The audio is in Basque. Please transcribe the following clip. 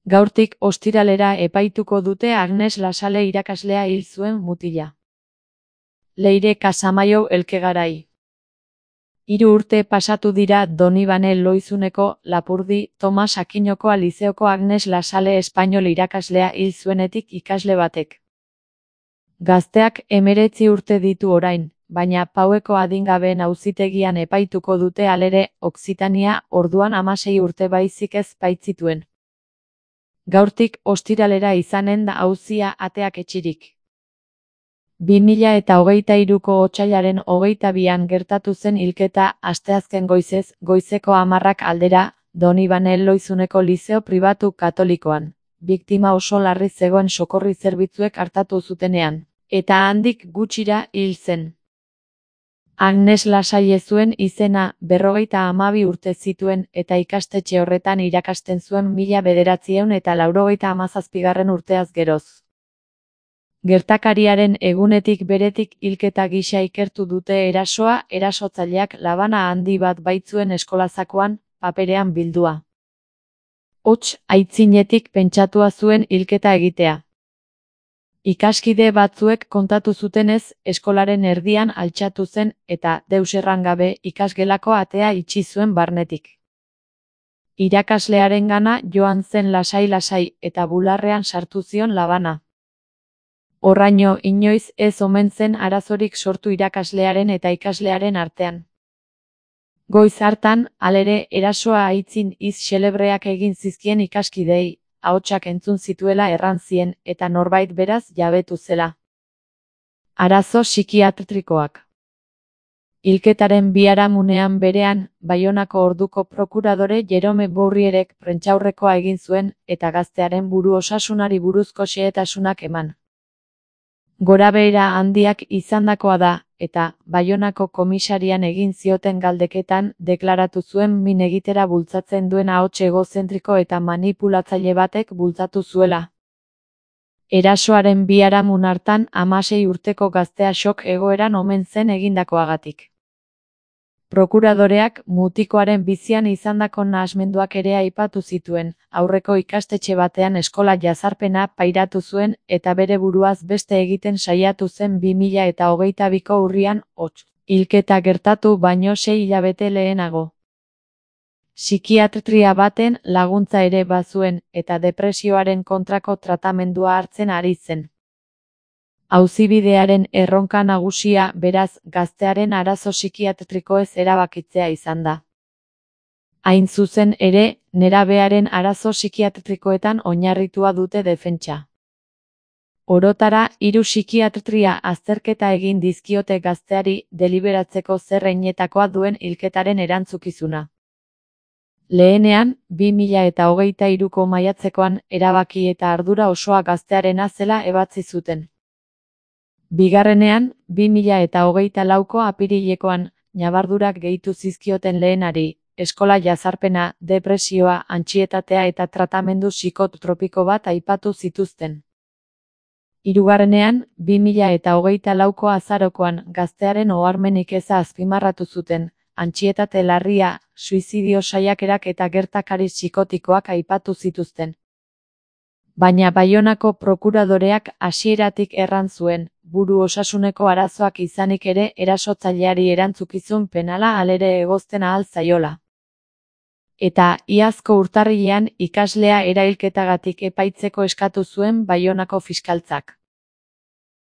Gaurtik ostiralera epaituko dute Agnes Lasale irakaslea hil zuen mutila. Leire Casamaio Elkegarai. 3 urte pasatu dira Donibane Loizuneko Lapurdi Tomas Akinoko Lizeoko Agnes Lasale espainol irakaslea hil zuenetik ikasle batek. Gazteak 19 urte ditu orain, baina Paueko adingabeen auzitegian epaituko dute halere, Okzitania orduan 16 urte baizik ez baitzituen. Gaurtik ostiralera izanen da auzia ateak etxirik. 2023ko otsailaren 22an gertatu zen hilketa asteazken goizez, goizeko 10 aldera, Donibane Loizuneko Lizeo Pribatu Katolikoan. Biktima oso larri zegoen sokorri zerbitzuek artatu zutenean, eta handik gutxira hil zen. Agnes Lasale zuen izena, 52 urte zituen eta ikastetxe horretan irakasten zuen 1997 urteaz geroz. Gertakariaren egunetik beretik hilketa gisa ikertu dute erasoa, erasotzaileak labana handi bat baitzuen eskolazakoan, paperean bildua. Hots, aitzinetik pentsatua zuen hilketa egitea. Ikaskide batzuek kontatu zutenez, eskolaren erdian altxatu zen eta, deus erran gabe, ikasgelako atea itxi zuen barnetik. Irakaslearengana joan zen lasai-lasai eta bularrean sartu zion labana. Horraino inoiz ez omen zen arazorik sortu irakaslearen eta ikaslearen artean. Goiz hartan, halere, erasoa aitzin hitz xelebreak egin zizkien ikaskidei, ahotsak entzun zituela erran zien, eta norbait beraz jabetu zela. Arazo psikiatrikoak. Hilketaren biharamunean berean, Baionako orduko prokuradore Jerome Bourrierek prentsaurrekoa egin zuen, eta gaztearen buru osasunari buruzko xehetasunak eman. Gorabehera handiak izandakoa da, eta, Baionako komisarian egin zioten galdeketan, deklaratu zuen min egitera bultzatzen duen ahots egozentriko eta manipulatzaile batek bultzatu zuela. Erasoaren biharamun hartan 16 urteko gaztea shock egoeran omen zen egindakoagatik. Prokuradoreak mutikoaren bizian izandako nahasmenduak ere aipatu zituen, aurreko ikastetxe batean eskola jazarpena pairatu zuen eta bere buruaz beste egiten saiatu zen 2022ko urrian, hots, hilketa gertatu baino 6 hilabete lehenago. Psikiatria baten laguntza ere bazuen eta depresioaren kontrako tratamendua hartzen ari zen. Auzibidearen erronka nagusia, beraz, gaztearen arazo psikiatrikoez erabakitzea izan da. Hain zuzen ere, nerabearen arazo psikiatrikoetan oinarritua dute defentsa. Orotara, 3 psikiatria azterketa egin dizkiote gazteari deliberatzeko zer heinetakoa duen hilketaren erantzukizuna. Lehenean, 2023ko maiatzekoan, erabaki eta ardura osoa gaztearena zela ebatzi zuten. Bigarrenean, 2024ko apirilekoan, ñabardurak gehitu zizkioten lehenari, eskola jazarpena, depresioa, antsietatea eta tratamendu psikotropiko bat aipatu zituzten. Hirugarrenean, 2024ko azarokoan, gaztearen oharmenik eza azpimarratu zuten, antsietate larria, suizidio saiakerak eta gertakari psikotikoak aipatu zituzten. Baina Baionako prokuradoreak hasieratik erran zuen, buru osasuneko arazoak izanik ere erasotzaileari erantzukizun penala halere egozten ahal zaiola. Eta, iazko urtarrilean ikaslea erailketagatik epaitzeko eskatu zuen Baionako fiskaltzak.